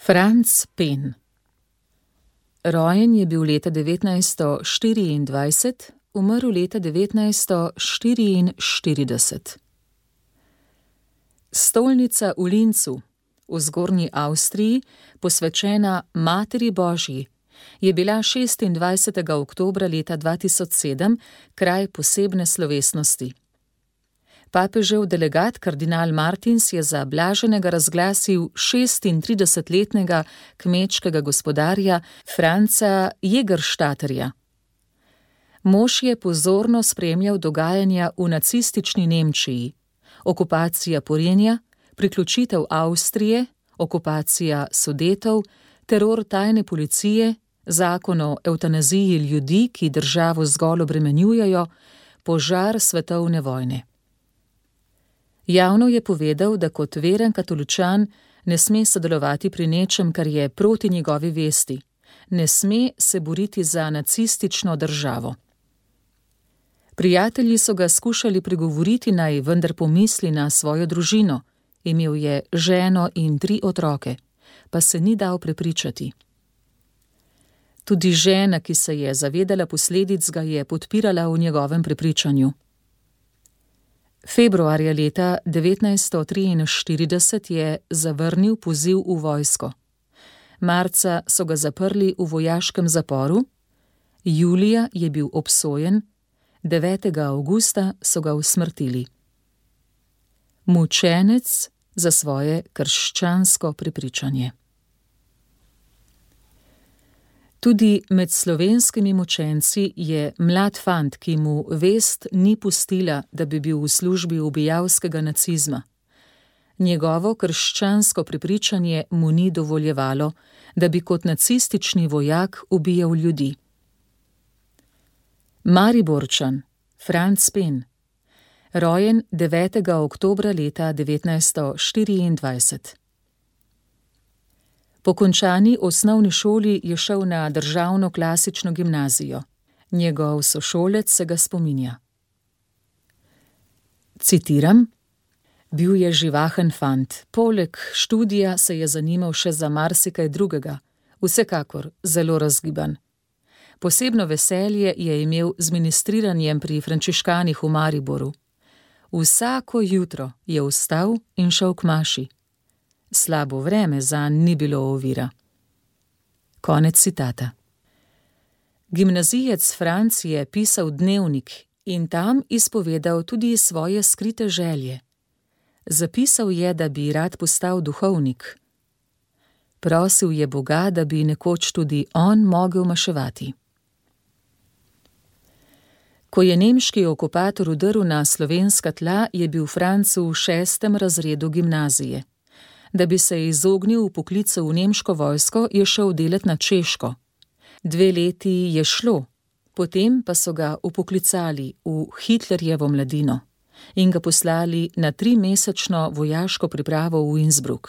Franz Pen. Rojen je bil leta 1924, umrl leta 1944. Stolnica v Linzu, v Zgornji Avstriji, posvečena Materi Božji, je bila 26. oktobra leta 2007 kraj posebne slovesnosti. Papežev delegat kardinal Martins je za blaženega razglasil 36-letnega kmečkega gospodarja Franza Jägerstätterja. Mož je pozorno spremljal dogajanja v nacistični Nemčiji, okupacija Porenja, priključitev Avstrije, okupacija Sudetov, teror tajne policije, zakon o evtanaziji ljudi, ki državo zgolj obremenjujejo, požar svetovne vojne. Javno je povedal, da kot veren katoličan ne sme sodelovati pri nečem, kar je proti njegovi vesti, ne sme se boriti za nacistično državo. Prijatelji so ga skušali pregovoriti, naj vendar pomisli na svojo družino, imel je ženo in 3 otroke, pa se ni dal prepričati. Tudi žena, ki se je zavedala posledic, ga je podpirala v njegovem prepričanju. Februarja leta 1943 je zavrnil poziv v vojsko. Marca so ga zaprli v vojaškem zaporu, julija je bil obsojen, 9. avgusta so ga usmrtili. Mučenec za svoje krščansko prepričanje. Tudi med slovenskimi mučenci je mlad fant, ki mu vest ni pustila, da bi bil v službi ubijalskega nacizma. Njegovo krščansko prepričanje mu ni dovoljevalo, da bi kot nacistični vojak ubijal ljudi. Mariborčan Franz Pen, rojen 9. oktobra leta 1924. Po končani osnovni šoli je šel na državno klasično gimnazijo. Njegov sošolec se ga spominja. Citiram: bil je živahen fant, poleg študija se je zanimal še za marsikaj drugega, vsekakor zelo razgiban. Posebno veselje je imel z ministriranjem pri frančiškanih v Mariboru. Vsako jutro je vstal in šel k maši. Slabo vreme zanj ni bilo ovira. Konec citata. Gimnazijec Franc je pisal dnevnik in tam izpovedal tudi svoje skrite želje. Zapisal je, da bi rad postal duhovnik. Prosil je Boga, da bi nekoč tudi on mogel maševati. Ko je nemški okupator vdrl na slovenska tla, je bil Franc v 6. razredu gimnazije. Da bi se izognil vpoklicu v nemško vojsko, je šel delat na Češko. 2 leti je šlo, potem pa so ga vpoklicali v Hitlerjevo mladino in ga poslali na 3-mesečno vojaško pripravo v Innsbruck.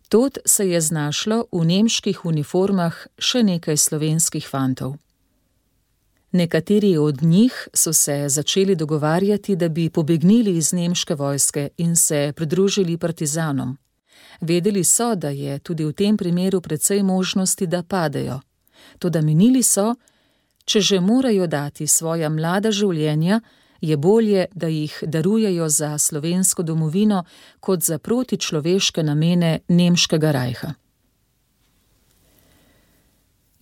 Tod se je znašlo v nemških uniformah še nekaj slovenskih fantov. Nekateri od njih so se začeli dogovarjati, da bi pobegnili iz nemške vojske in se pridružili partizanom. Vedeli so, da je tudi v tem primeru precej možnosti, da padejo. Toda menili so, če že morajo dati svoja mlada življenja, je bolje, da jih darujejo za slovensko domovino, kot za protičloveške namene nemškega rajha.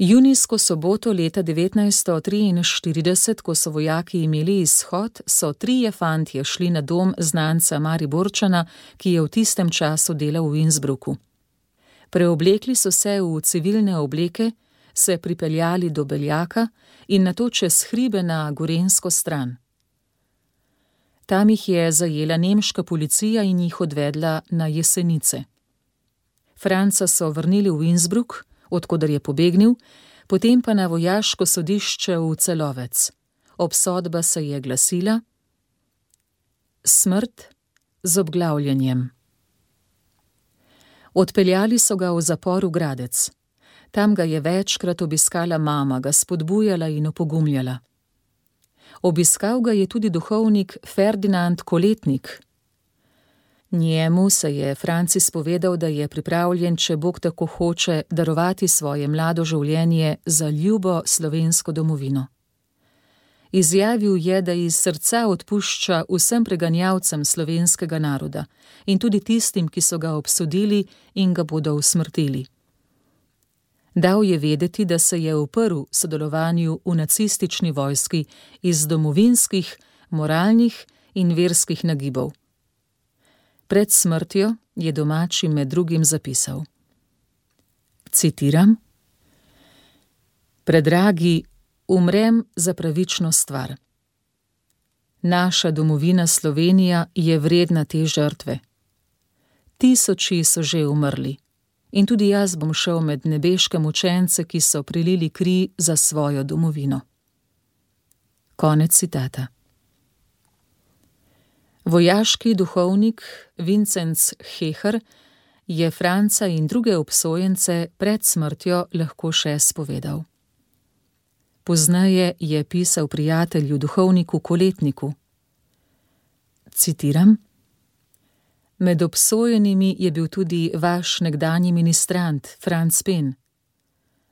Junijsko soboto leta 1943, ko so vojaki imeli izhod, so 3 fantje šli na dom znanca Mariborčana, ki je v tistem času delal v Innsbrucku. Preoblekli so se v civilne obleke, se pripeljali do Beljaka in nato čez hribe na gorenjsko stran. Tam jih je zajela nemška policija in jih odvedla na Jesenice. Franca so vrnili v Innsbruck, od koder je pobegnil, potem pa na vojaško sodišče v Celovec. Obsodba se je glasila: smrt z obglavljanjem. Odpeljali so ga v zapor v Gradec. Tam ga je večkrat obiskala mama, ga spodbujala in opogumljala. Obiskal ga je tudi duhovnik Ferdinand Koletnik. Njemu se je Francis povedal, da je pripravljen, če Bog tako hoče, darovati svoje mlado življenje za ljubo slovensko domovino. Izjavil je, da iz srca odpušča vsem preganjalcem slovenskega naroda in tudi tistim, ki so ga obsodili in ga bodo usmrtili. Dal je vedeti, da se je uprl sodelovanju v nacistični vojski iz domovinskih, moralnih in verskih nagibov. Pred smrtjo je domači med drugim zapisal. Citiram: Predragi, umrem za pravično stvar. Naša domovina Slovenija je vredna te žrtve. Tisoči so že umrli in tudi jaz bom šel med nebeške mučence, ki so prilili kri za svojo domovino. Konec citata. Vojaški duhovnik Vincenc Heher je Franca in druge obsojence pred smrtjo lahko še spovedal. Pozneje je pisal prijatelju duhovniku Koletniku. Citiram: Med obsojenimi je bil tudi vaš nekdanji ministrant Franc Pen.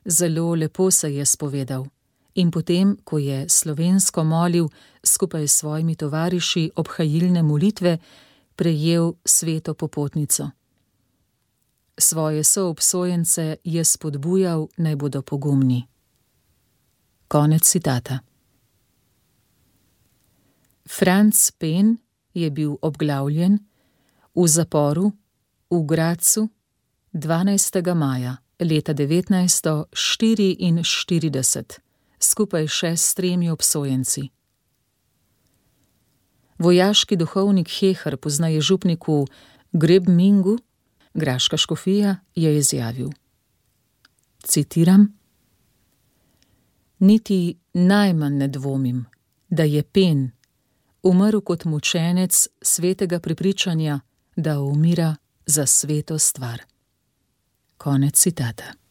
Zelo lepo se je spovedal in potem, ko je slovensko molil skupaj s svojimi tovariši obhajilne molitve, prejel sveto popotnico. Svoje soobsojence je spodbujal, naj bodo pogumni. Konec citata. Franc Pen je bil obglavljen v zaporu v Gradcu 12. maja leta 1944, skupaj še s 3 obsojenci. Vojaški duhovnik Heher, pozneje župniku Grebmingu, graška škofija, je izjavil. Citiram: Niti najmanj ne dvomim, da je Pen umrl kot mučenec svetega prepričanja, da umira za sveto stvar. Konec citata.